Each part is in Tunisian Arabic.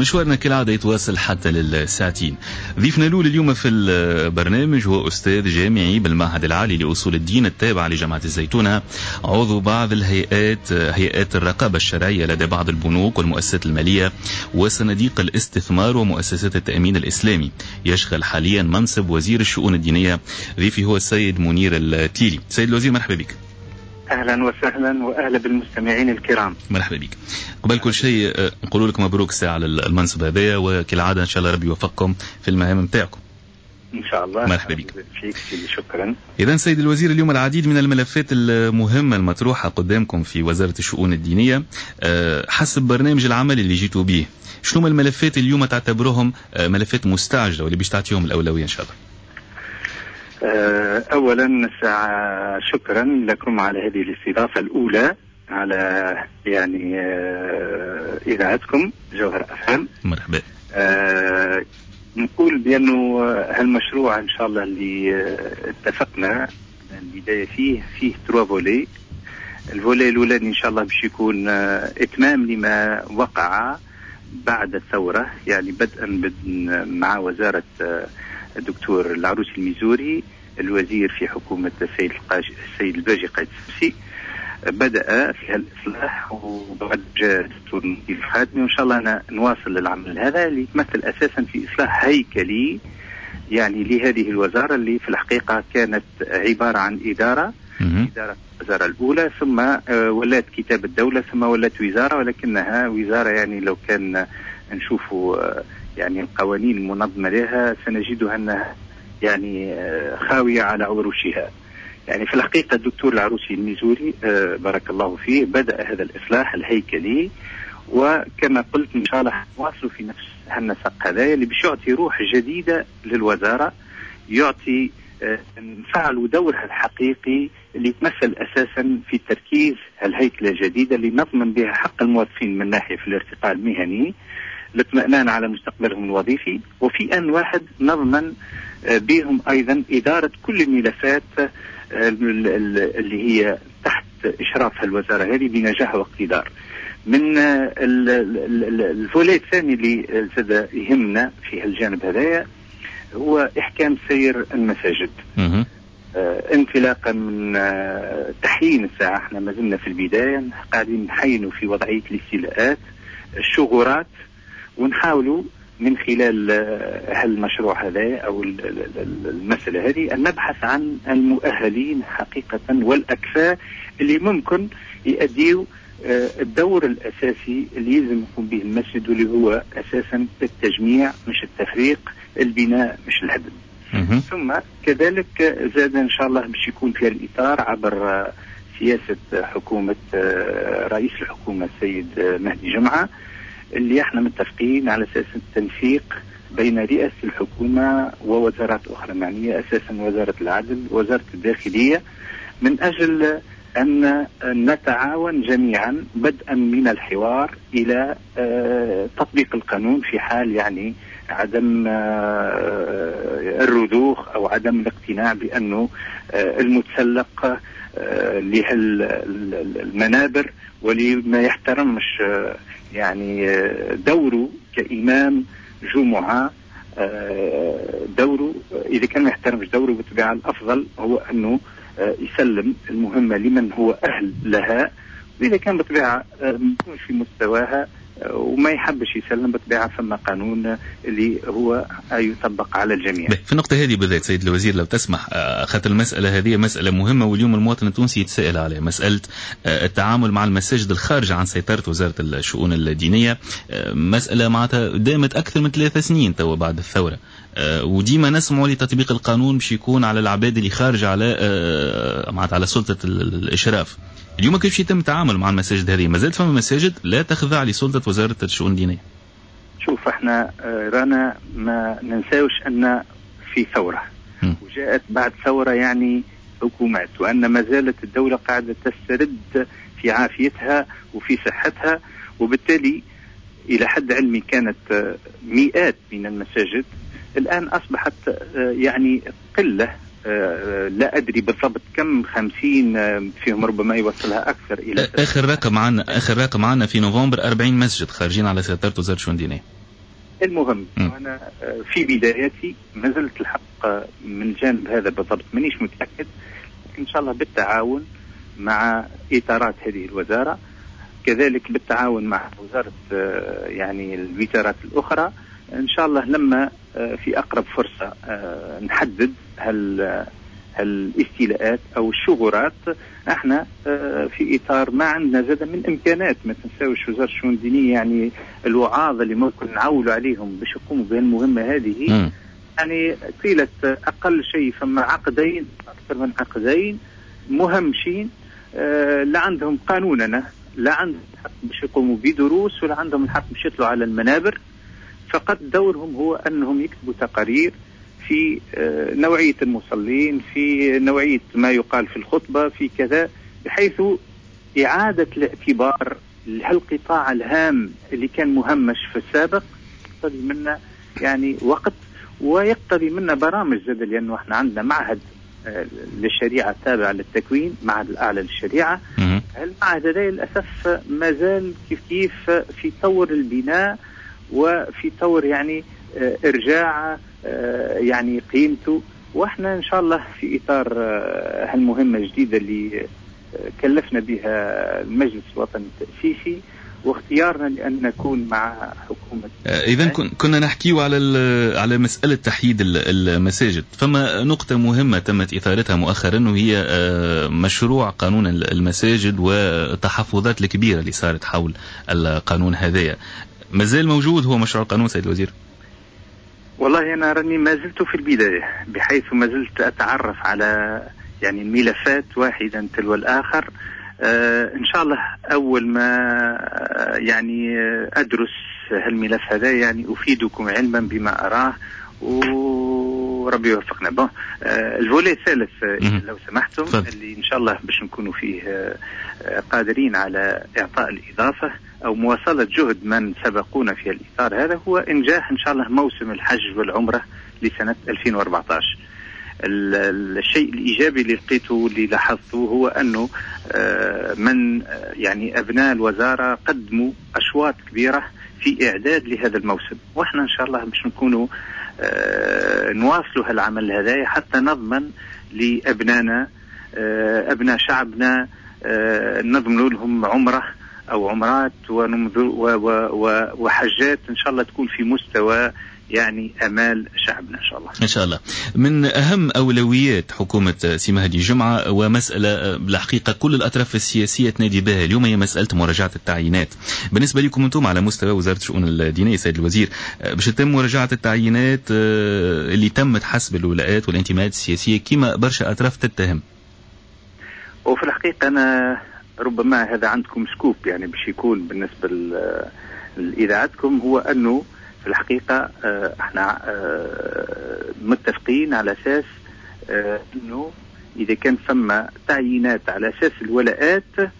مشوارنا كالعادة يتواصل حتى للساعتين. ضيفنا الأول اليوم في البرنامج هو أستاذ جامعي بالمعهد العالي لأصول الدين التابع لجامعة الزيتونة، عضو بعض الهيئات، هيئات الرقابة الشرعية لدى بعض البنوك والمؤسسات المالية وصناديق الاستثمار ومؤسسات التأمين الإسلامي. يشغل حاليا منصب وزير الشؤون الدينية. ضيفي هو السيد منير التليلي. سيد الوزير مرحبا بك. اهلا وسهلا واهلا بالمستمعين الكرام. مرحبا بك. قبل كل شيء نقول لك مبروك ساعة على المنصب هذايا، وكالعادة ان شاء الله ربي يوفقكم في المهام نتاعكم. ان شاء الله. مرحبا بك. فيك سيدي، شكرا. اذا سيد الوزير، اليوم العديد من الملفات المهمة المطروحة قدامكم في وزارة الشؤون الدينية حسب برنامج العمل اللي جيتوا به، شنو الملفات اليوم تعتبرهم ملفات مستعجلة واللي باش تعطيهم الاولوية ان شاء الله؟ اولا شكرا لكم على هذه الاستضافة الاولى على يعني اذاعتكم جوهر افهم. مرحبا. نقول بانه هالمشروع ان شاء الله اللي اتفقنا البداية فيه trois volets. ال volet الاولاني ان شاء الله باش يكون اتمام لما وقع بعد الثوره، يعني بدءا مع وزارة الدكتور العروسي المزوري الوزير في حكومة السيد الباجي قايد السبسي، بدأ في هالإصلاح، وبعد جاء الدكتور نجيب الخادمي، وإن شاء الله أنا نواصل العمل هذا اللي يتمثل أساسا في إصلاح هيكلي يعني لهذه الوزارة اللي في الحقيقة كانت عبارة عن إدارة الوزارة الأولى، ثم ولات كتاب الدولة، ثم ولات وزارة، ولكنها وزارة يعني لو كان نشوفوا يعني القوانين المنظمة لها سنجدها أنها يعني خاوية على عروشها. يعني في الحقيقة الدكتور العروسي المزوري بارك الله فيه بدأ هذا الإصلاح الهيكلي، وكما قلت إن شاء الله نواصلوا في نفس هالنسق هذا اللي باش يعطي روح جديدة للوزارة، يعطي نفعلوا دورها الحقيقي اللي يتمثل أساسا في تركيز الهيكلة الجديدة اللي نضمن بها حق الموظفين من ناحية في الارتقاء المهني، الاطمئنان على مستقبلهم الوظيفي، وفي آن واحد نضمن بهم أيضا إدارة كل الملفات اللي هي تحت إشراف الوزارة هذه بنجاح واقتدار. من ال volet الثاني اللي زاد يهمنا في هالجانب هذايا هو إحكام سير المساجد. انطلاقا من تحيين الساعة، احنا ما زلنا في البداية قاعدين نحينوا في وضعية الاستيلاءات الشغورات، ونحاولوا من خلال هالمشروع هذا أو المسألة هذه أن نبحث عن المؤهلين حقيقة والأكفاء اللي ممكن يؤديوا الدور الأساسي اللي يلزم يقوم به المسجد، واللي هو أساسا التجميع مش التفريق، البناء مش الهدم. ثم كذلك زاد إن شاء الله باش يكون في الإطار عبر سياسة حكومة رئيس الحكومة السيد مهدي جمعة، اللي احنا متفقين على اساس التنسيق بين رئاسة الحكومة ووزارات أخرى معنية، أساسا وزارة العدل وزارة الداخلية، من أجل أن نتعاون جميعا بدءا من الحوار إلى تطبيق القانون في حال يعني عدم الرضوخ أو عدم الاقتناع بأنه المتسلق لهالمنابر واللي ما يحترمش يعني دوره كإمام جمعة، دوره إذا كان ما يحترمش دوره بالطبيعة الأفضل هو أنه يسلم المهمة لمن هو أهل لها، وإذا كان بالطبيعة ما يكونش في مستواها وما يحبش يسلم بالطبيعة فما قانون اللي هو يطبق على الجميع. في النقطة هذه بالذات سيد الوزير لو تسمح، خاطر المسألة هذه مسألة مهمة واليوم المواطن التونسي يتساءل عليها، مسألة التعامل مع المساجد الخارجة عن سيطرة وزارة الشؤون الدينية، مسألة معناتها دامت أكثر من 3 سنين توا بعد الثورة، وديما نسمعوا لتطبيق القانون باش يكون على العباد اللي خارجة على معناتها على سلطة الإشراف. اليوم كيفاش يتم التعامل مع المساجد هذه؟ ما زالت فما مساجد لا تخضع لسلطة وزارة الشؤون الدينية. شوف احنا رانا ما ننساوش أن في ثورة وجاءت بعد ثورة يعني حكومات، وأن ما زالت الدولة قاعدة تسترد في عافيتها وفي صحتها، وبالتالي إلى حد علمي كانت مئات من المساجد، الآن أصبحت يعني قلة لا أدري بالضبط كم، 50 فيهم ربما يوصلها أكثر إلى آخر رقم عنا في نوفمبر 40 مسجد خارجين على سيطرة وزارة الشؤون الدينية. المهم أنا في بدايتي ما زلت الحق من جانب هذا بالضبط مانيش متأكد، إن شاء الله بالتعاون مع إطارات هذه الوزارة، كذلك بالتعاون مع وزارة يعني الوزارات الأخرى، إن شاء الله لما في أقرب فرصة نحدد هل الاستيلاءات أو الشغورات. احنا في إطار ما عندنا زاد من إمكانات، ما تنساوش وزارة الشؤون الدينية يعني الوعاظ اللي ممكن نعولوا عليهم باش يقوموا بهالمهمة هذه، يعني طيلة أقل شيء فما عقدين، أكثر من عقدين مهمشين، لا عندهم قانوننا، لا عندهم الحق باش يقوموا بدروس، ولا عندهم الحق باش يطلعوا على المنابر. فقط دورهم هو أنهم يكتبوا تقارير في نوعية المصلين، في نوعية ما يقال في الخطبة، في كذا، بحيث إعادة الاعتبار لهالقطاع الهام اللي كان مهمش في السابق يقتضي منا يعني وقت، ويقتضي منا برامج زاد، لأنه احنا عندنا معهد للشريعة التابع للتكوين، معهد الأعلى للشريعة. المعهد هذا للأسف ما زال كيف كيف في طور البناء وفي طور يعني إرجاع يعني قيمته. واحنا ان شاء الله في اطار هالمهمه الجديدة اللي كلفنا بها المجلس الوطني التاسيسي واختيارنا لان نكون مع حكومة. اذا كنا نحكيو على مسالة تحييد المساجد، فما نقطة مهمة تمت اثارتها مؤخرا وهي مشروع قانون المساجد والتحفظات الكبيرة اللي صارت حول القانون هذايا. مازال موجود هو مشروع القانون سيد الوزير؟ والله أنا راني ما زلت في البداية، بحيث ما زلت أتعرف على يعني الملفات واحدا تلو الآخر. إن شاء الله أول ما يعني أدرس هالملف هذا يعني أفيدكم علما بما أراه، وربي يوفقنا. bon ال volet الثالث لو سمحتم، اللي إن شاء الله باش نكونوا فيه قادرين على إعطاء الإضافة أو مواصلة جهد من سبقونا في الإطار هذا، هو إنجاح إن شاء الله موسم الحج والعمرة لسنة 2014. الشيء الإيجابي اللي لقيته واللي لاحظته هو أنه من يعني أبناء الوزارة قدموا أشواط كبيرة في إعداد لهذا الموسم، وإحنا إن شاء الله باش نكونوا نواصلوا هالعمل هذا حتى نضمن لأبنائنا أبناء شعبنا، نضمن لهم عمرة أو عمرات وحجات إن شاء الله تكون في مستوى يعني أمال شعبنا إن شاء الله. إن شاء الله. من أهم أولويات حكومة سي مهدي جمعة ومسألة بالحقيقة كل الأطراف السياسية تنادي بها اليوم هي مسألة مراجعة التعيينات. بالنسبة لكم أنتم على مستوى وزارة الشؤون الدينية سيد الوزير، باش تتم مراجعة التعيينات اللي تمت حسب الولاءات والانتماءات السياسية كما برشا أطراف تتهم؟ وفي الحقيقة أنا ربما هذا عندكم scoop يعني باش يكون بالنسبة لإذاعتكم، هو أنه في الحقيقة احنا متفقين على أساس أنه إذا كان ثم تعيينات على أساس الولاءات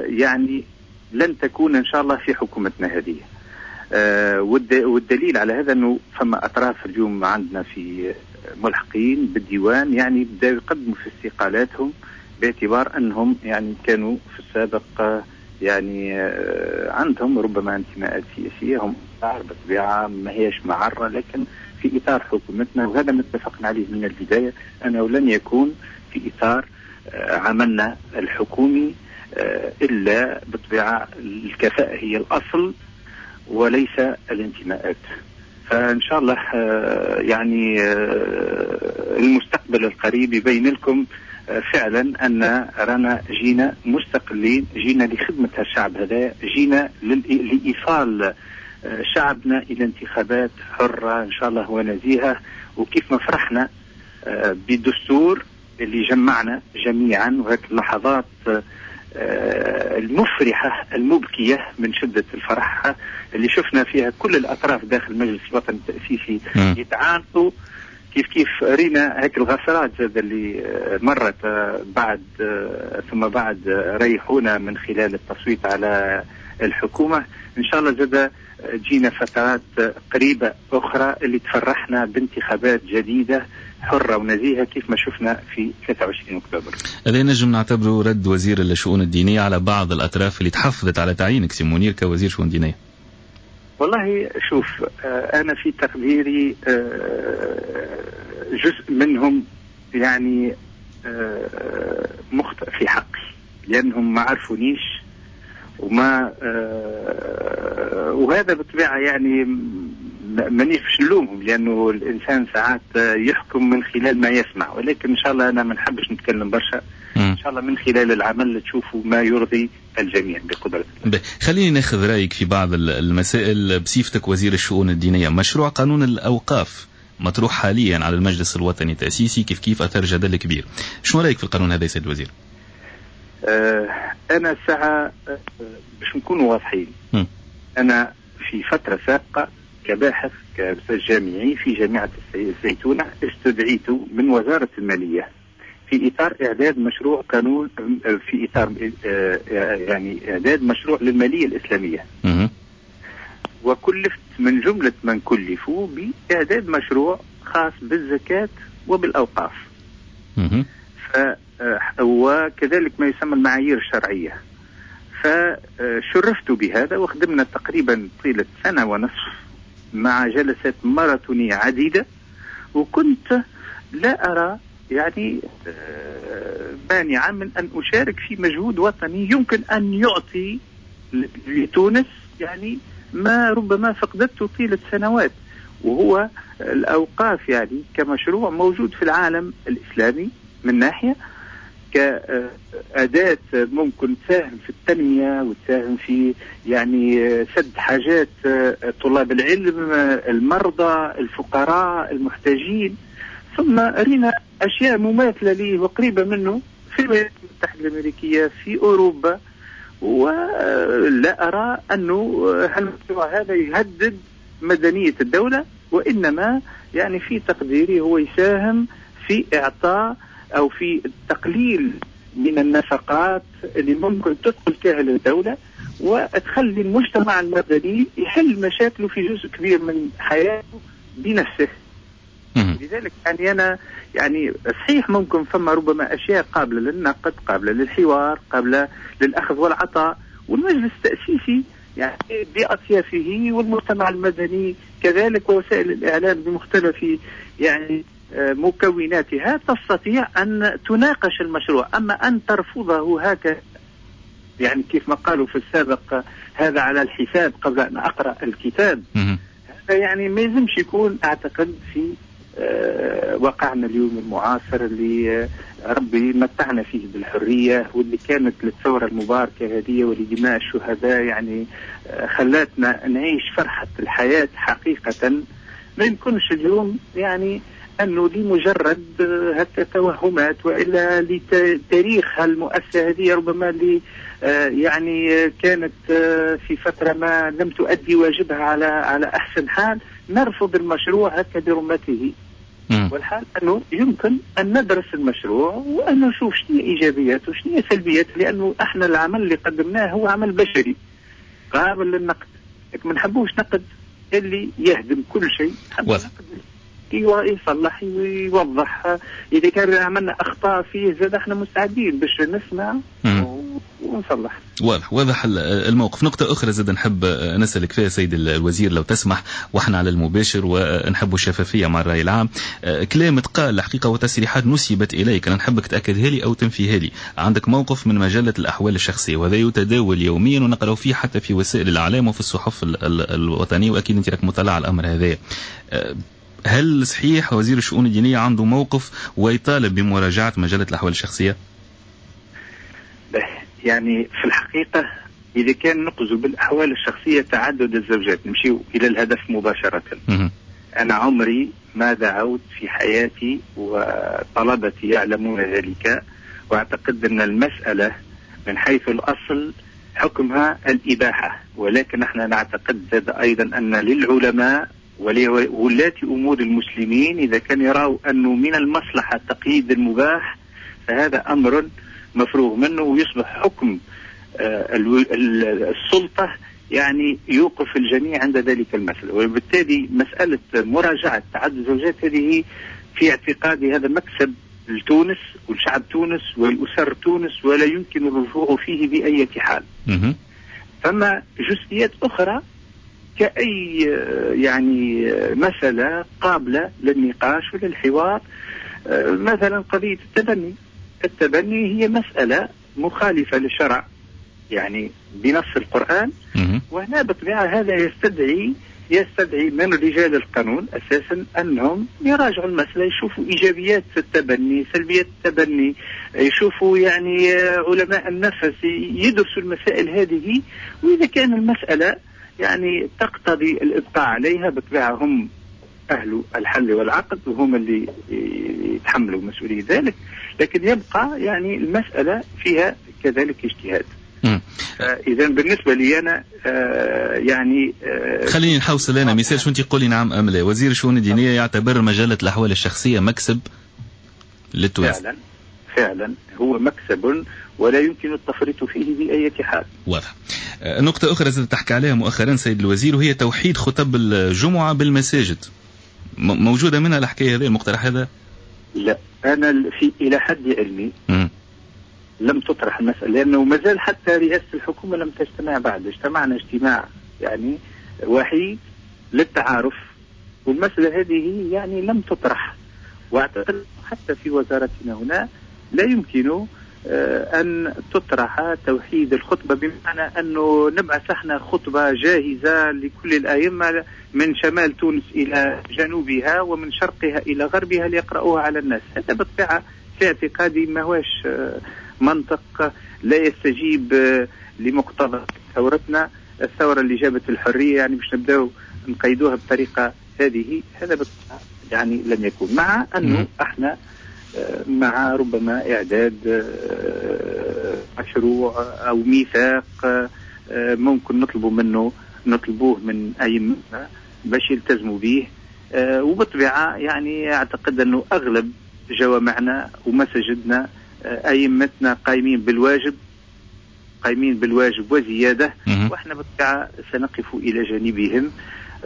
يعني لن تكون إن شاء الله في حكومتنا هذه. والدليل على هذا أنه فما أطراف اليوم عندنا في ملحقين بالديوان يعني بدأوا يقدموا في استقالاتهم باعتبار أنهم يعني كانوا في السابق يعني عندهم ربما انتماءات سياسية، هم بالطبيعة ما هيش معرة، لكن في إطار حكومتنا، وهذا ما اتفقنا عليه من البداية أنه لن يكون في إطار عملنا الحكومي إلا بالطبيعة الكفاءة هي الأصل وليس الانتماءات. فإن شاء الله يعني المستقبل القريب يبين لكم فعلا أن رانا جينا مستقلين، جينا لخدمة الشعب هذا، جينا لإيصال شعبنا إلى انتخابات حرة إن شاء الله ونزيهة. وكيف ما فرحنا بالدستور اللي جمعنا جميعا، وهيك اللحظات المفرحة المبكية من شدة الفرح اللي شفنا فيها كل الأطراف داخل المجلس الوطني التأسيسي يتعانقوا، كيف كيف رينا هيك الغسرات زاد اللي مرت بعد ثم بعد ريحونا من خلال التصويت على الحكومة. إن شاء الله زاد جينا فترات قريبة أخرى اللي تفرحنا بانتخابات جديدة حرة ونزيهة كيف ما شفنا في 23 أكتوبر. هذا نجم نعتبره رد وزير الشؤون الدينية على بعض الأطراف اللي تحفظت على تعيينك سي منير كوزير شؤون دينية. والله شوف، أنا في تقديري جزء منهم يعني مخطئ في حقي، لأنهم ما عرفونيش وما وهذا بالطبيعة يعني مانيش باش نلومهم، لأنه الإنسان ساعات يحكم من خلال ما يسمع، ولكن إن شاء الله أنا ما نحبش نتكلم برشا. إن شاء الله من خلال العمل تشوفوا ما يرضي الجميع بقدرة الله. خليني ناخذ رأيك في بعض المسائل بصفتك وزير الشؤون الدينية. مشروع قانون الأوقاف مطروح حاليا على المجلس الوطني التأسيسي، كيف كيف أثار جدل كبير. شنو رأيك في القانون هذا يا سيد الوزير؟ أنا ساعة باش نكونوا واضحين، أنا في فترة سابقة كباحث كأستاذ جامعي في جامعة الزيتونة استدعيت من وزارة المالية في إطار إعداد مشروع قانون، في إطار يعني إعداد مشروع للمالية الإسلامية، وكلفت من جملة من كلفوا بإعداد مشروع خاص بالزكاة وبالأوقاف، وكذلك ما يسمى المعايير الشرعية. فشرفت بهذا وخدمنا تقريبا طيلة 1.5 سنة مع جلسات ماراثونية عديدة، وكنت لا أرى يعني مانعا من أن أشارك في مجهود وطني يمكن أن يعطي لتونس يعني ما ربما فقدته طيلة سنوات، وهو الأوقاف يعني كمشروع موجود في العالم الإسلامي من ناحية كأداة ممكن تساهم في التنمية وتساهم في يعني سد حاجات طلاب العلم، المرضى، الفقراء، المحتاجين. ثم رينا أشياء مماثلة ليه وقريبة منه في الولايات المتحدة الأمريكية، في أوروبا، ولا أرى أنه المشروع هذا يهدد مدنية الدولة، وإنما يعني في تقديري هو يساهم في إعطاء أو في التقليل من النفقات اللي ممكن تدخل كاهل الدولة وتخلي المجتمع المدني يحل مشاكله في جزء كبير من حياته بنفسه. لذلك يعني أنا يعني صحيح ممكن فما ربما أشياء قابلة للنقد، قابلة للحوار، قابلة للأخذ والعطاء، والمجلس التأسيسي يعني بأطيافه والمجتمع المدني كذلك ووسائل الإعلام بمختلف يعني مكوناتها تستطيع أن تناقش المشروع. أما أن ترفضه هكذا يعني كيف ما قالوا في السابق هذا على الحساب قبل أن أقرأ الكتاب، هذا يعني ما يلزمش يكون أعتقد في واقعنا اليوم المعاصر اللي ربي متعنا فيه بالحرية، واللي كانت للثورة المباركة هذه ولدماء الشهداء يعني خلاتنا نعيش فرحة الحياة حقيقة. ما يمكنش اليوم يعني أنه لمجرد التوهمات وإلا لتاريخ المؤسسة هذه ربما اللي يعني كانت في فترة ما لم تؤدي واجبها على أحسن حال نرفض المشروع هكا برمته. والحال أنه يمكن أن ندرس المشروع وأن نشوف شنو إيجابياته وشنو سلبياته، لأنه احنا العمل اللي قدمناه هو عمل بشري قابل للنقد، لكن ما نحبوش نقد اللي يهدم كل شيء، نقد يصلح ويوضح. إذا كان عملنا أخطاء فيه زاد احنا مستعدين باش نسمع ونصلح. واضح الموقف. نقطة أخرى زاد نحب نسألك فيها سيد الوزير لو تسمح، واحنا على المباشر ونحب الشفافية مع الرأي العام. كلام تقال الحقيقة وتصريحات نسبت إليك، أنا نحبك تأكدها لي أو تنفيها لي. عندك موقف من مجلة الأحوال الشخصية، وهذا يتداول يوميا ونقرأ فيه حتى في وسائل الإعلام وفي الصحف الوطنية، وأكيد أنت راك مطلع على الأمر هذا. هل صحيح وزير الشؤون الدينية عنده موقف ويطالب بمراجعة مجلة الأحوال الشخصية؟ يعني في الحقيقة إذا كان نقصد بالأحوال الشخصية تعدد الزوجات، نمشي إلى الهدف مباشرة. أنا عمري ما دعوت في حياتي وطلبتي يعلمون ذلك، وأعتقد أن المسألة من حيث الأصل حكمها الإباحة، ولكن نحن نعتقد أيضا أن للعلماء ولولاة أمور المسلمين إذا كان يروا أنه من المصلحة تقييد المباح فهذا أمر مفروغ منه، ويصبح حكم السلطة يعني يوقف الجميع عند ذلك المسألة. وبالتالي مسألة مراجعة تعدد الزوجات هذه في اعتقادي هذا مكسب لتونس ولشعب تونس ولأسر تونس، ولا يمكن الرجوع فيه بأي حال. فما جزئيات أخرى كأي يعني مسألة قابلة للنقاش وللحوار. مثلا قضية التبني، التبني هي مسألة مخالفة للشرع يعني بنص القرآن، وهنا بالطبيعة هذا يستدعي من رجال القانون أساسا أنهم يراجعوا المسألة، يشوفوا إيجابيات التبني، سلبيات التبني، يشوفوا يعني علماء النفس يدرسوا المسائل هذه، وإذا كان المسألة يعني تقتضي الإبقاء عليها بالطبيعة هم أهل الحل والعقد وهم اللي يتحملوا مسؤولية ذلك، لكن يبقى يعني المسألة فيها كذلك اجتهاد. إذا بالنسبة لي أنا يعني خليني نحوصل أنا مثال، شو أنت قولي نعم أم لا. وزير الشؤون الدينية يعتبر مجلة الأحوال الشخصية مكسب للتوانسة. فعلا هو مكسب ولا يمكن التفريط فيه بأي حال. واضح. نقطة أخرى زادت تحكي عليها مؤخرا سيد الوزير، وهي توحيد خطب الجمعة بالمساجد. موجودة منها الحكاية هذه، المقترح هذا؟ لا، أنا في إلى حد علمي لم تطرح المسألة، لأنه ما زال حتى رئاسة الحكومة لم تجتمع بعد. اجتمعنا اجتماع يعني وحيد للتعارف، والمسألة هذه يعني لم تطرح، وأعتقد حتى في وزارتنا هنا لا يمكن أن تطرح توحيد الخطبة، بمعنى أنه نبعث احنا خطبة جاهزة لكل الأئمة من شمال تونس إلى جنوبها ومن شرقها إلى غربها ليقرأوها على الناس. هذا بالطبيعة في اعتقادي ما هوش منطق، لا يستجيب لمقتضى ثورتنا، الثورة اللي جابت الحرية، يعني باش نبداو نقيدوها بطريقة هذه، هذا بالطبيعة يعني لن يكون. مع أنه احنا مع ربما إعداد مشروع أو ميثاق ممكن نطلبوه من أئمة باش يلتزموا به، وبالطبيعة يعني أعتقد أنه أغلب جوامعنا ومساجدنا أئمتنا قايمين بالواجب وزيادة، وإحنا بالطبيعة سنقف إلى جانبهم.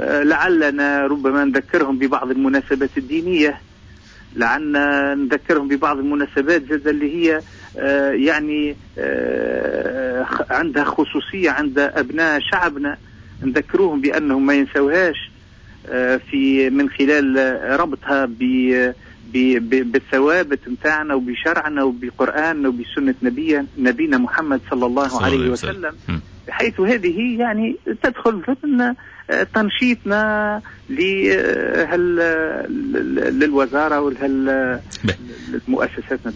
لعلنا ربما نذكرهم ببعض المناسبات الدينية، لعلنا نذكرهم ببعض المناسبات زاد اللي هي يعني عندها خصوصية عند أبناء شعبنا، نذكروهم بأنهم ما ينسوهاش في من خلال ربطها بالثوابت متاعنا وبشرعنا وبقرآننا وبسنة نبينا محمد صلى الله عليه وسلم، بحيث هذه يعني تدخل ضمن تنشيطنا للوزارة وللمؤسساتنا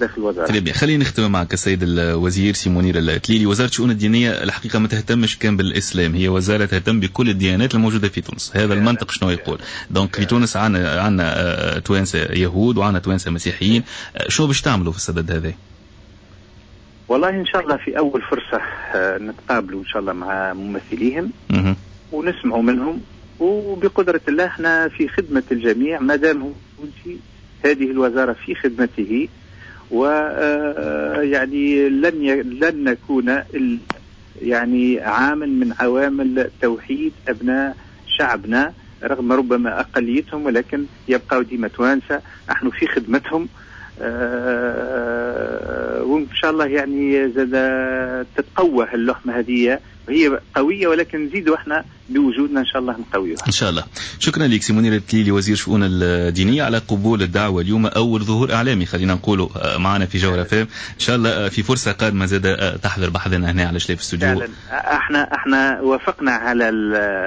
داخل الوزارة. طيب خلينا نختم معك السيد الوزير سي منير التليلي. وزارة الشؤون الدينية الحقيقة ما تهتمش كان بالإسلام، هي وزارة تهتم بكل الديانات الموجودة في تونس. هذا المنطق شنو يقول؟ donc في تونس عندنا توانسة يهود وعندنا توانسة مسيحيين، شو باش تعملوا في السدد هذا؟ والله إن شاء الله في أول فرصة نتقابلوا إن شاء الله مع ممثليهم ونسمعوا منهم، وبقدرة الله احنا في خدمة الجميع ما دام هذه الوزارة في خدمته، ويعني لن نكون يعني عامل من عوامل توحيد أبناء شعبنا رغم ربما أقليتهم، ولكن يبقوا ديما توانسة، نحن في خدمتهم. وإن شاء الله يعني زاد تتقوى اللحمة هذه، وهي قوية ولكن نزيدوا احنا بوجودنا إن شاء الله نقويها إن شاء الله. شكرا لك سي منير التليلي وزير شؤون الدينية على قبول الدعوة اليوم، أول ظهور إعلامي خلينا نقوله معنا في جوهرة فام. إن شاء الله في فرصة قادمة زاد تحضر بحذنا هنا على شلاف استوديو. فعلا احنا وافقنا على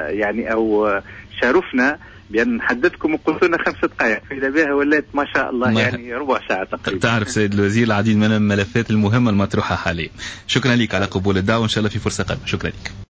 يعني أو شارفنا بأن نحددكم وقلت لنا 5 دقائق، فإذا بها ولات ما شاء الله يعني ربع ساعة تقريبا. تعرف سيد الوزير العديد من الملفات المهمة المطروحة حاليا. شكرا لك على قبول الدعوة، وإن شاء الله في فرصة قادمة. شكرا لك.